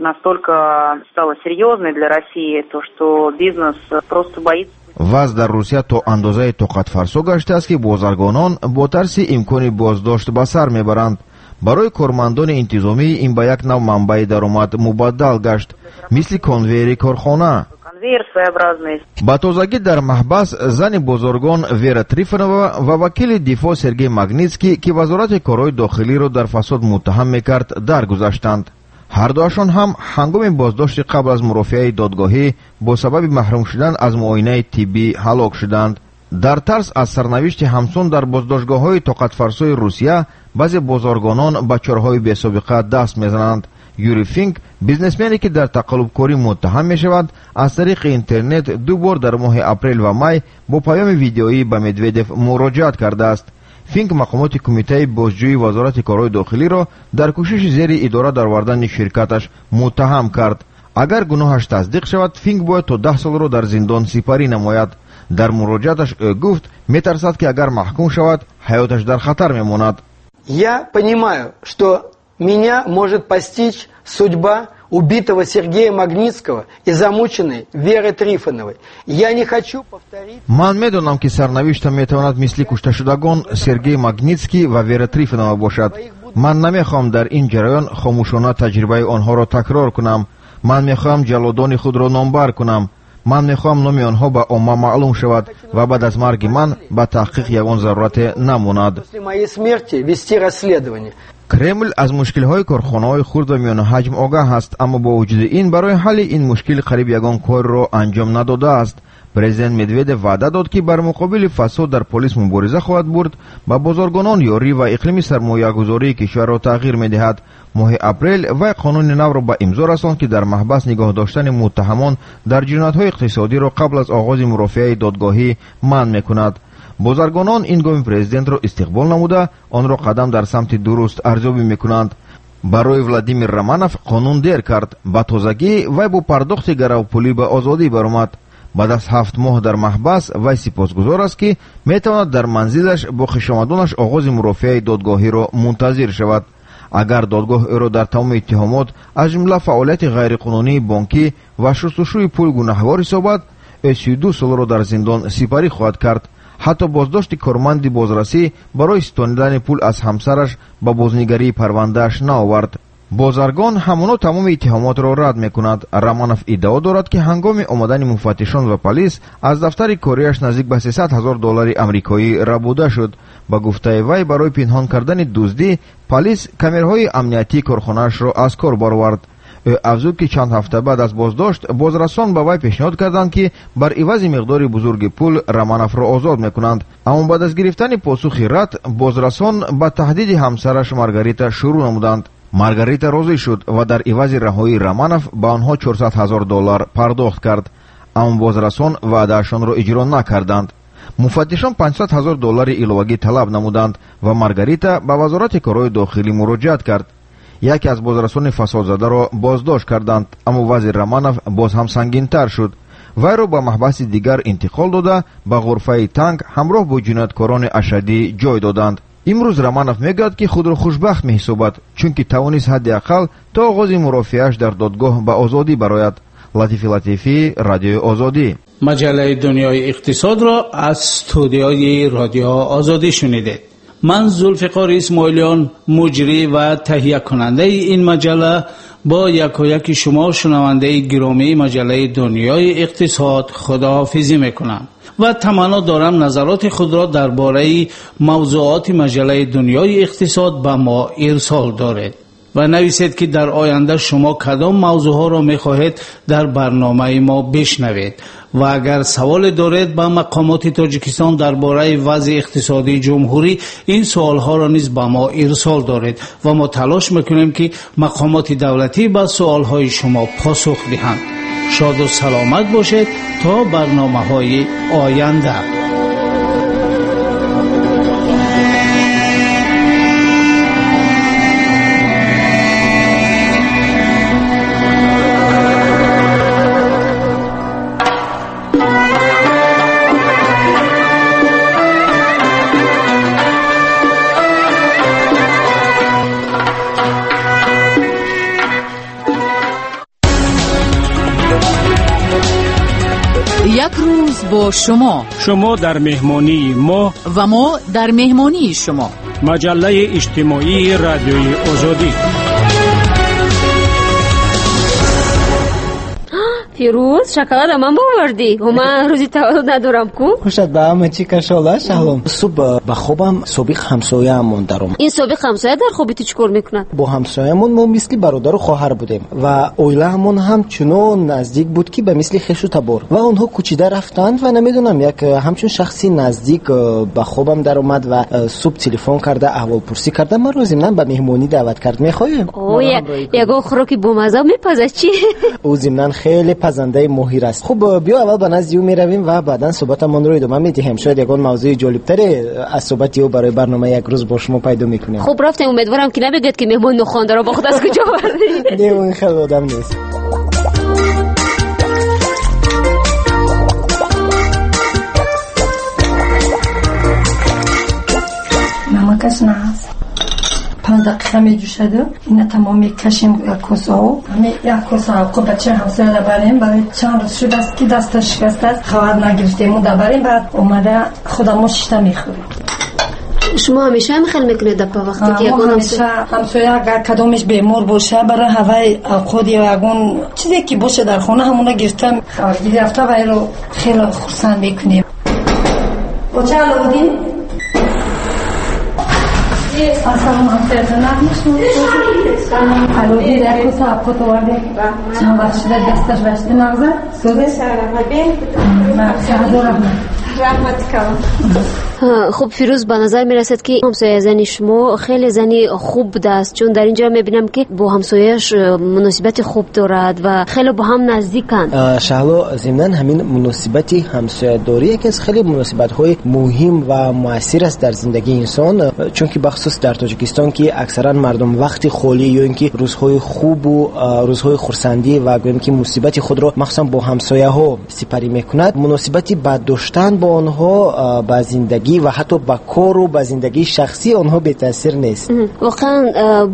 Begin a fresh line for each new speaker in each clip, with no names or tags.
Настолько стала серьезной для России, то что бизнес просто боится.
Вазъ дар Русия то андозае тоқатфарсо гаштааст, ки бозаргонон бо тарси имкони боздошт ба сар мебаранд. Барои кормандони интизомӣ ин ба як нав манбаи даромад мубаддал гашт, мисли конвейери корхона.
Конвейер своеобразный.
Ба тозагӣ дар маҳбас зани бозоргон Вера Трифонова ва вакили дифоъ Сергей Магнитский, ки Вазорати корҳои дохилиро дар фасод муттаҳам мекард, даргузаштанд. Ҳардуашон ҳам ҳангоми боздошти қабл аз мурофиаи додгоҳӣ бо сабаби маҳрум шудан аз муоинаи тиббӣ ҳалок шуданд. Дар тарс аз сарнавишти ҳамсон дар боздоштгоҳҳои тоқатфарсои Русия баъзе бозоргонон ба чораҳои бесобиқа даст мезананд. Юрий Финк, бизнесмене ки дар тақаллубкорӣ муттаҳам мешавад, аз тариқи интернет ду бор дар моҳи апрел ва май бо паёми видеоӣ ба Медведев муроҷиат кардааст. Финк мақомоти Кумитаи бозҷӯии Вазорати корҳои дохилиро дар кӯшиши зери идора даровардани ширкаташ муттаҳам кард. Агар гуноҳаш тасдиқ шавад, Финк бояд то 10 солро дар зиндон сипарӣ намояд. Дар муроҷиаташ ӯ гуфт, метарсад, ки агар маҳкум шавад, ҳаёташ дар хатар мемонад.
Я понимаю, что меня может постичь судьба убитого Сергея Магнитского и замученной Веры Трифоновой. Я не хочу повторить.
Ман медонам, ки сарнавиштам метавонад мисли кушташудагон Сергей Магнитский ва Вера Трифонова бошад. Ман намехоҳам дар ин ҷараён хомӯшона таҷрибаи онҳоро такрор кунам. Ман мехоҳам ҷаллодони худро номбар кунам. Ман мехоҳам номи онҳо ба омма маълум шавад ва баъд аз марги ман ба таҳқиқ ягон зарурате намонад.
После моей смерти вести расследование.
Кремл аз мушкилҳои корхонаҳои хурд ва миёнаҳаҷм огаҳ аст, аммо бо вуҷуди ин барои ҳалли ин мушкил қариб ягон корро анҷом надодааст. Президент Медведев ваъда дод, ки бар муқобили фасод дар полис мубориза хоҳад бурд, ба бозоргонон ёрӣ ва иқлими сармоягузории кишварро тағйир медиҳад. Моҳи апрел вай қонуни навро ба имзо расонд, ки дар маҳбас нигоҳ доштани муттаҳамон дар ҷиноятҳои иқтисодиро қабл аз оғози мурофиаи додгоҳӣ манъ мекунад. Бозаргонон ин гоми президентро истиқбол намуда, онро қадам дар самти дуруст арзёбӣ мекунанд. Барои Владимир Романов қонун дер кард. Ба тозагӣ вай бо пардохти гаравпулӣ ба озодӣ баромад. Баъд аз 7 моҳ дар маҳбас вай сипосгузор аст, ки метавонад дар манзилаш бо хешомадонаш оғози мурофиаи додгоҳиро мунтазир шавад. Агар додгоҳ ӯро дар тамоми иттиҳомот, аз ҷумла фаъолияти ғайриқонунии бонкӣ ва шустушӯи пул гунаҳгор ҳисобад, ӯ 32 солро дар зиндон сипарӣ хоҳад кард. Ҳатто боздошти корманди бозрасӣ барои ситонидани пул аз ҳамсараш ба бознигарии парвандааш наовард. Бозаргон ҳамоно тамоми иттиҳомотро рад мекунад. Романов иддао дорад, ки ҳангоми омадани муфаттишон ва полис аз дафтари кориаш наздик ба 300 ҳазор доллари амрикоӣ рабуда шуд. Ба гуфтаи вай, барои пинҳон кардани дуздӣ полис камераҳои амниятии корхонаашро аз кор баровард. Ӯ афзуд, ки чанд ҳафта баъд аз боздошт бозрасон ба вай пешниҳод карданд, ки бар ивази миқдори бузурги пул Романовро озод мекунанд. Аммо баъд аз гирифтани посухи рад, бозрасон ба таҳдиди ҳамсараш Маргарита шурӯъ намуданд. Маргарита розӣ шуд ва дар ивази раҳоии Романов ба онҳо 400 ҳазор доллар пардохт кард. Аммо бозрасон ваъдаашонро иҷро накарданд. Муфаттишон 500 ҳазор доллари иловагӣ талаб намуданд ва Маргарита ба Вазорати корҳои дохилӣ муроҷиат кард. Яке аз бозрасони фасодзадаро боздошт карданд, аммо вазъи Романов боз ҳам сангинтар шуд. Вайро ба маҳбаси дигар интиқол дода, ба ғурфаи танг ҳамроҳ бо ҷинояткорони ашаддӣ ҷой доданд. Имрӯз Романов мегӯяд, ки худро хушбахт меҳисобад, чунки тавонист ҳадди ақал то оғози мурофиааш дар додгоҳ ба озодӣ барояд. Латифи Латифӣ, Радиои Озодӣ.
Маҷаллаи Дунёи иқтисодро аз студияи Радио Озодӣ шунидед. Ман Зулфиқор Исмоилиён, муҷрӣ ва таҳиякунандаи ин маҷалла, бо якояки шумо шунавандаи гиромии маҷаллаи Дунёи иқтисод худоҳофизӣ мекунам ва таманно дорам назароти худро дар бораи мавзӯоти маҷаллаи Дунёи иқтисод ба мо ирсол доред ва нависед, ки дар оянда шумо кадом мавзӯъҳоро мехоҳед дар барномаи мо бишнавед ва агар саволе доред ба мақомоти Тоҷикистон дар бораи вазъи иқтисодии ҷумҳурӣ, ин суолҳоро низ ба мо ирсол доред ва мо талош мекунем, ки мақомоти давлатӣ ба суолҳои шумо посух диҳанд. Шоду саломат бошед то барномаҳои оянда.
Як рӯз бо шумо.
Шумо дар меҳмонии мо
ва мо дар меҳмонии шумо.
Маҷаллаи иҷтимоии Радиои Озодӣ.
Фирӯз, шоколада ман бовардӣ? Ман рӯзи таваллуд надорам ку?
Хушат ба ҳама чӣ кашола, Шаҳлом. Субҳ ба хобам собиқ ҳамсояамон даромад.
Ин собиқ ҳамсоя дар хоби ту чӣ кор мекунад?
Бо ҳамсоямон мо мисли бародару хоҳар будем ва оилаамон ҳам чунон наздик буд, ки ба мисли хешу табор. Ва онҳо кӯчида рафтанд ва намедонам, як ҳамчун шахси наздик ба хобам даромад ва субҳ телефон карда, аҳволпурсӣ карда, маро зимнан ба меҳмонӣ даъват кард. Мехоҳем?
Ягон хӯроки бомазза мепазад чӣ?
Ӯ зимнан хеле пазандаи моҳир аст. Хуб, биё аввал ба назди ӯ меравем ва баъдан суҳбатамонро идома медиҳем. Шояд ягон мавзӯи ҷолибтаре аз суҳбати ӯ барои барномаи як рӯз бо шумо пайдо мекунем.
Хуб, рафтем. Умедворам, ки намегӯяд, ки меҳмони нохондаро бо худ аз куҷо овардӣ.
Не, он хеле одам нест.
Намакаш наст. 5 дақиқа меҷӯшаду ина тамом мекашем як коса об. Ҳами як коса об бачаи ҳамсоя дабарем. Барои чанд рӯз шудааст, ки дасташ шикастааст, хабар нагирифтему дабарем. Баъд омада худамо шишта мехӯрем.
Шумо ҳамеша ҳам хел мекунед апа, вақте ки ягон
ҳамсоя агар кадомеш бемор боша, барои ҳаваи авқот ё ягон чизе ки боша дар хона, ҳамона гирифта хабаргирӣ рафта вайро хеле хурсанд мекунем. Боча Аловуддин, ассалому алайкум. Аловуддин, як коса авқот овардем. Чанд вақт шуда дасташ башта мағза? Шаҳзо раҳмат.
Раҳмат калом.
Хуб, Фирӯз, ба назар мерасад, ки ҳамсояи зани шумо хеле зани хуб будааст, чун дар инҷо мебинам, ки бо ҳамсояаш муносибати хуб дорад ва хеле бо ҳам наздиканд.
Шаҳло, зимнан ҳамин муносибати ҳамсоядорӣ яке аз хеле муносибатҳои муҳим ва муассир аст дар зиндагии инсон, чунки бахусус дар Тоҷикистон, ки аксаран мардум вақти холӣ ё ин ки рӯзҳои хубу рӯзҳои хурсандӣ ва гӯем ки мусибати худро махсусан бо ҳамсояҳо сипарӣ мекунад. Муносибати бад доштан бо онҳо ба зиндагӣ ва ҳатто ба кору ба зиндагии шахсии онҳо бетаъсир нест.
Воқеан,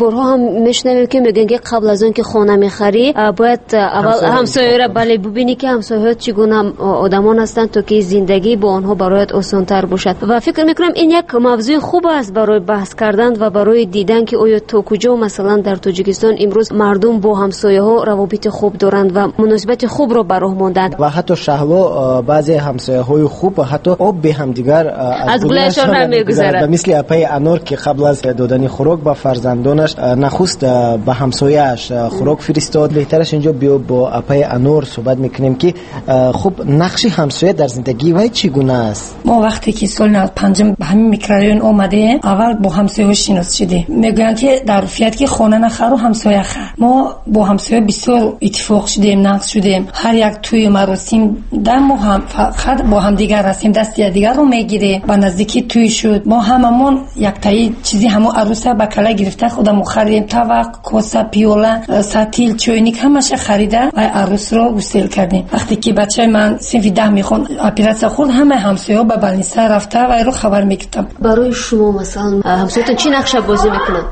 борҳо ҳам мешунавем, ки мегӯянд, ки қабл аз он ки хона мехарӣ, бояд аввал ҳамсояро бале бубинӣ, ки ҳамсояҳо чӣ гуна одамон ҳастанд, то ки зиндагӣ бо онҳо барояд осонтар бошад. Ва фикр мекунам, ин як мавзӯи хуб аст барои баҳс кардан ва барои дидан, ки оё то куҷо масалан дар Тоҷикистон имрӯз мардум бо ҳамсояҳо равобити хуб доранд ва муносибати хубро ба роҳ монданд.
Ва ҳатто, Шаҳло, баъзе ҳамсояҳои хуб ҳатто об бе ҳамдигар
аз гулашон намегузарад.
Ба мисли апаи Анор, ки қабл аз додани хӯрок ба фарзандонаш нахуст ба ҳамсояаш хӯрок фиристод. Беҳтараш инҷо биё бо апаи Анор суҳбат мекунем, ки хуб, нақши ҳамсоя дар зиндагии вай чӣ гуна аст?
Мо вақте ки соли 95 ба ҳамин микрорайон омадем, аввал бо ҳамсояҳо шинос шудем. Мегӯянд, ки дар урфият ки хона нахару ҳамсоя хар. Мо бо ҳамсоя бисёр иттифоқ шудем, нақш шудем. Ҳар як тӯю маросим дар мо ҳам фақат бо ҳамдигар ҳастем, дасти якдигарро мегирем. Ба наздикӣ тӯй шуд, мо ҳамамон яктаи чизи ҳамо арӯса ба кала гирифта худамо харидем. Тавақ, коса, пиёла, сатил, чойник ҳамаша харида ва арӯсро гусел кардем. Вақте ки бачаи ман синфи 10 мехонд, оператсия хӯрд, ҳамаи ҳамсояҳо ба больница рафта вайро хабар мегирифтам.
Барои шумо масалан ҳамсоятон чӣ нақша бозӣ мекунад?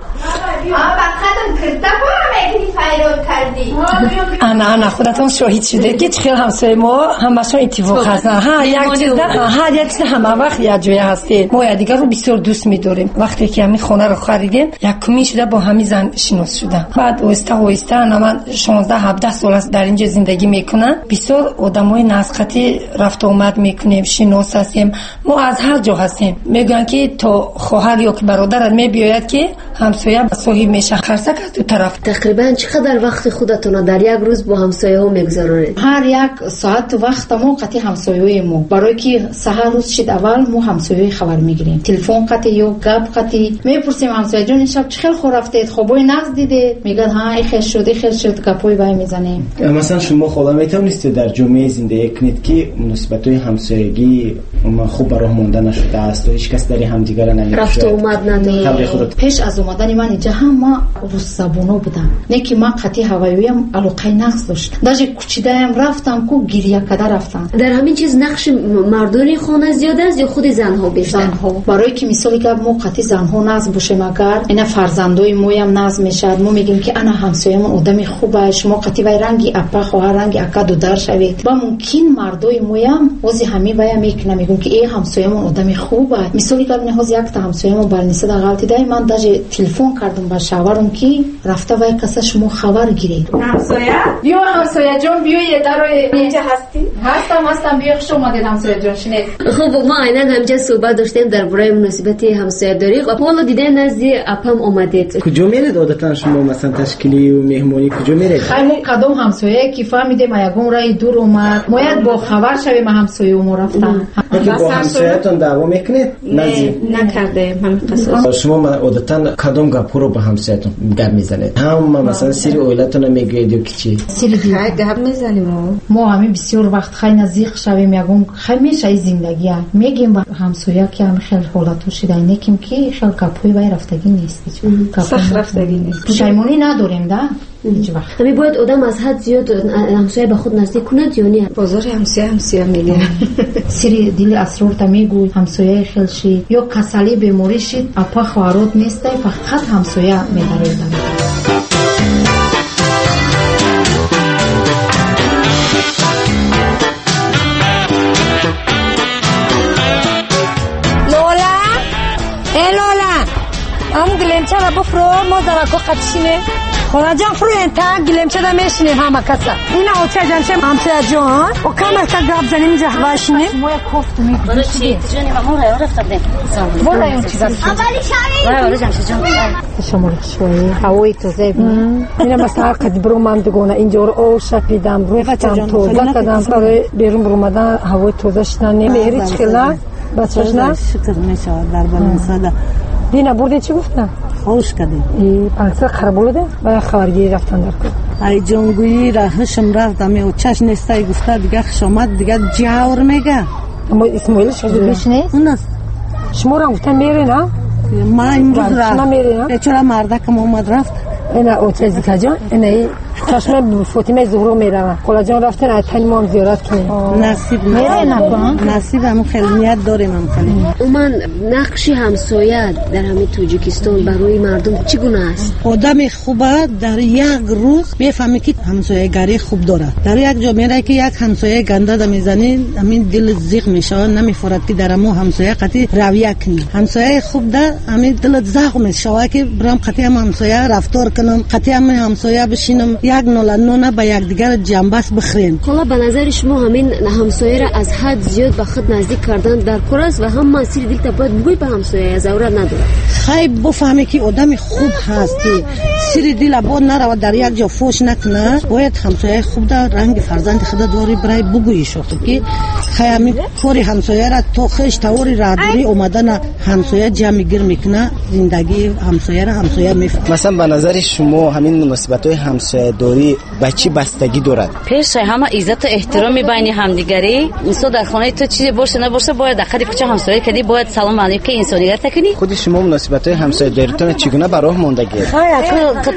Ана, ана, худатон шоҳид шудед, ки чӣ хел ҳамсояи мо ҳамашон иттифоқ ҳастанд. Ҳар як чиза ҳама вақт якҷоя ҳастем. Мо якдигарро бисёр дӯст медорем. Вақте ки ҳамин хонаро харидем, якумин шуда бо ҳамин зан шинос шудам. Баъд оҳиста оҳиста ана ман 16-17 сол аст дар инҷо зиндагӣ мекунам. Бисёр одамои назқатӣ рафтуомад мекунем, шинос ҳастем. Мо аз ҳар ҷо ҳастем. Мегӯянд, ки то хоҳар ё ки бародарат мебиёяд, ки ҳамсоя соҳиб мешавад. Қарсак аз ду тараф.
Тақрибан чӣ қадар вақти худатонро дар як рӯз бо ҳамсояҳо мегузаронед?
Ҳар як соату вақта мо қатъи ҳамсояҳои мо, барое ки саҳар рӯз шид, аввал мо ҳамсояҳои хабар мегирем. Телефон қатъи ё гап қатъи мепурсем: ҳамсояҷон, ин шаб чӣ хел хоб рафтед, хобҳои нағз дидед? Мегӯяд, ҳа, ихел шуд, ихел шуд, гапҳои вай мезанем.
Масалан, шумо хола метавонистед дар ҷомеа зиндагӣ кунед, ки муносибатҳои ҳамсоягӣ хуб ба роҳ монда нашудааст ва ҳеҷ кас дари ҳамдигарро намекушояд.
Рафту омад надорад.
Пеш аз омадани ман инҷа ҳама русзабоно буданд. Не ки ман қатъи ҳавоиям алоқаи нақс дошт. Даже кучидаям рафтам ку гиря када рафтам.
Дар ҳамин чиз нақши мардони хона зиёд аст ё худи занҳо бештар?
Занҳо. Барои ки мисоли гап мо қатъи занҳо нақс бошем, агар ина фарзандои моям нақс мешавад, мо мегӯем ки ана ҳамсоямон одами хуб аст, шумо қатъи вай ранги апа хоҳар, ранги ака дудар шавед. Ба мумкин мардои моям ҳози ҳамин вая мекунам, мегӯям ки э ҳамсоямон одами хуб аст. Мисоли гап ҳози якта ҳамсоямон барнисада ғалтидай, ман даже телефон кардам ба шавҳарам ки рафта вай каса шумо хабар гиред.
Ҳамсоя? Биё ҳамсояҷон, биёед дарои инҷа ҳастӣ?
Ҳастам, ҳастам, биё, хуш омадед ҳамсояҷон, шинед.
Хуб, мо айнан ҳамҷа суҳбат доштем дар бораи муносибати ҳамсоядорӣ. Ҳоло дидем назди апам омадед.
Куҷо меред одатан шумо, масалан ташкилию меҳмонӣ куҷо меред?
Хай мо кадом ҳамсояе ки фаҳмидем ягон раи дур омад, мояд бо хабар шавем ҳамсояи мо рафтан.
Бо ҳамсоятон даъво мекунед?
Накардаем ҳамин қисм.
Шумо одатан кадом гапҳоро ба ҳамсоятон гап мезанед? Ҳама масалан сири оилатонро мегӯед ё ки чӣ?
Сири дил
гап мезанем.
Мо ҳамин бисёр вақт хай наздик шавем, ягон хай мешаи зиндагия мегем ба ҳамсоя ки ҳамин хел ҳолатҳо шида, неким ки хел гапҳои вай рафтагӣ нест.
Сахт рафтагӣ нест.
Пушаймонӣ надорем да ҳеҷ вақт.
Ҳамин бояд одам аз ҳад зиёд ҳамсоя ба худ наздик кунад ё не?
Бозори ҳамсоя ҳамсоя мегирад.
Сири дили асрорта мегӯй, ҳамсояи хел шид ё касалӣ беморӣ шид, апа хоҳарот нестай, фақат ҳамсоя медарояд.
Лола, э Лола, ам гилемчара буфро, мо зарако қатишине. Холаҷон фурӯен та гилемчада мешинем ҳама каса. Ина очаҷанча ҳамсояҷон, о камака гап занем инҷа вашинем.
Мо як кофту мекунем. Бо район чӣ гап шуд? Шуморо хушвоӣ, ҳавои тоза бинем.
Ина масалан қад бурумам дугона инҷоро об шапидам, рӯфтам, тоза кардам. Барои берун бурумадан ҳавои тоза шидан. Меҳри чӣ хел на? Бачаш на?
Шукр мешавад дар балансада.
Дина бурдем чӣ гуфтам?
Хош кардем.
Панса қараболуда бая хабаргирӣ рафтан дар кор.
Ай ҷонгӯӣ ра ҳушм рафт, ами очаш нестай гуфта, дига хушомад, дига ҷавр мега.
Аммо Исмоил шуд
нест?
Унаст.
Шуморо гуфтан мерен, а?
Ма имрӯз рафт. Бечора мардакам омад рафт.
Ина оча зикаҷон, ина чашма Фотимаи Зуҳро меравам. Холаҷон рафтен, ай тани мо ҳам зиёрат кунем.
Насиб насиб, ҳам хеле ният дорем ҳам хеле.
Умуман нақши ҳамсоя дар ҳамин Тоҷикистон барои мардум чӣ гуна аст?
Одами хуба дар як рӯз мефаҳмӣ ки ҳамсоягарӣ хуб дорад. Дар як ҷо меравӣ ки як ҳамсояи ганда да мезанӣ, ҳамин дил зиқ мешавад, намефорад ки дар ҳамон ҳамсоя қатъи равия кунӣ. Ҳамсояи хуб да ҳамин дилат завқ мешавад ки бирам қатъи ҳам ҳамсоя рафтор кунам, қатъи ҳам ҳамсоя бишинам, як нола нона ба якдигар ҷамбаст бихӯрем.
Хола, ба назари шумо ҳамин ҳамсояро аз ҳад зиёд ба худ наздик кардан дар кор аст ва ҳама сири дилта бояд бигӯй ба ҳамсоя, зарурат надорад?
Хай бифаҳме ки одами хуб ҳаст, ки сири дила бод наравад, дар як ҷо фош накунад, бояд ҳамсояи хуб да ранги фарзанди худа дори бирай бугӯӣ шохи ки хай ҳамин кори ҳамсояра то хеш тавори раҳдорӣ омадана ҳамсоя ҷамъи гир мекунад, зиндагии ҳамсояра ҳамсоя мефаҳмад.
Масалан ба назари шумо ҳамин муносибатҳои ҳамсоядорӣ ба чӣ бастагӣ дорад?
Пеши ҳама иззату эҳтироми байни ҳамдигарӣ. Инсон дар хонаи ту чизе боша набоша, бояд дар қади кӯча ҳамсоя кардӣ, бояд салом алейкум инсоният кунӣ.
Худи шумо муносибатҳои ҳамсоядориатонро чӣ гуна ба роҳ мондагиед?
Хай,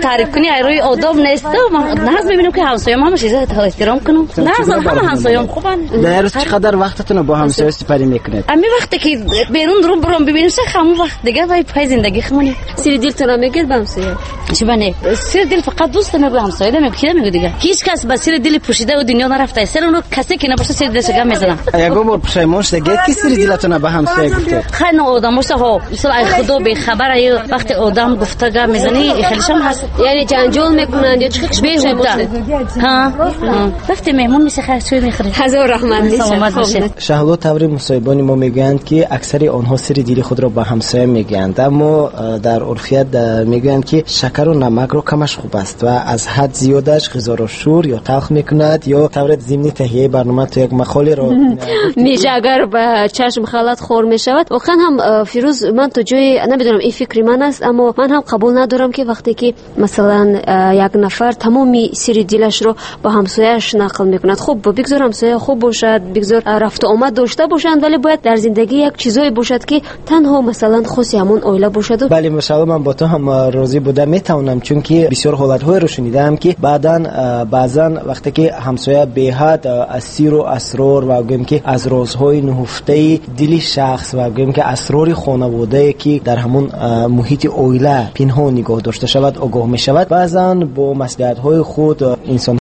таъриф кунӣ ай рӯи одоб нест. Ман нағз мебинам ки ҳамсоям ҳамаш иззат эҳтиром кунам. Нағз ҳама ҳамсоям хубанд.
Дар рӯз чӣ қадар вақтатонро бо ҳамсоя сипарӣ мекунед?
Ҳамин вақте ки берун рӯ бурам бибинам, ҳамон вақт дигар вай пай зиндагӣ хумонем.
Сири дилтонро мегӯед ба ҳамсоя?
Чӣ бане? Сири дил фақат дӯст мегӯяд, ҳамсоя намегӯяд, ки намегӯяд дигар. Ҳеҷ кас ба сири дили пӯшида ӯ дунё нарафта. Сири онро касе ки набошад сири дилашро гап мезанам.
Ягон бор пушаймон шудагед ки сири дилатонро ба ҳамсоя гуфтед?
Хай на одамоша ҳо, мисол ай худо бехабар ай вақте одам гуфта гап мезанӣ, хелешам ҳаст.
Яъне ҷанҷол мекунанд ё чӣ
беҳуда? Ҳа, вақте меҳмон меша хай чой мехӯред.
Ҳазор раҳмат.
Саломат бошед.
Шаҳло, таври мусоҳибони мо мегӯянд ки аксари онҳо сири дили худро ба ҳамсоя мегӯянд, аммо дар урфият мегӯянд ки шакару намакро камаш хуб аст ва аз ҳад зиёдаш ғизоро шӯр ё талх мекунад, ё тавре зимни таҳияи барнома ту як мақолеро
меҷа агар ба чашм халат хор мешавад. Воқеан ҳам, Фирӯз, ман то ҷое намедонам, ин фикри ман аст, аммо ман ҳам қабул надорам, ки вақте ки масалан як нафар тамоми сирри дилашро ба ҳамсояаш нақл мекунад. Хуб, бигзор ҳамсоя хуб бошад, бигзор рафту омад дошта бошанд, вале бояд дар зиндагӣ як чизое бошад, ки танҳо масалан хоси ҳамон оила бошаду.
Бале, мошалло, ман бо ту ҳам розӣ буда метавонам, чунки бисёр ҳолатҳоеро шунидаам, ки баъдан баъзан вақте ки ҳамсоя беҳад аз сиру асрор ва гӯем ки аз розҳои нуҳуфтаи дили шахс ва гӯем ки асрори хонаводае, ки дар ҳамон муҳити оила пинҳон нигоҳ дошта шавад, огоҳ мешавад, баъзан бо маслиҳатҳои худ инсон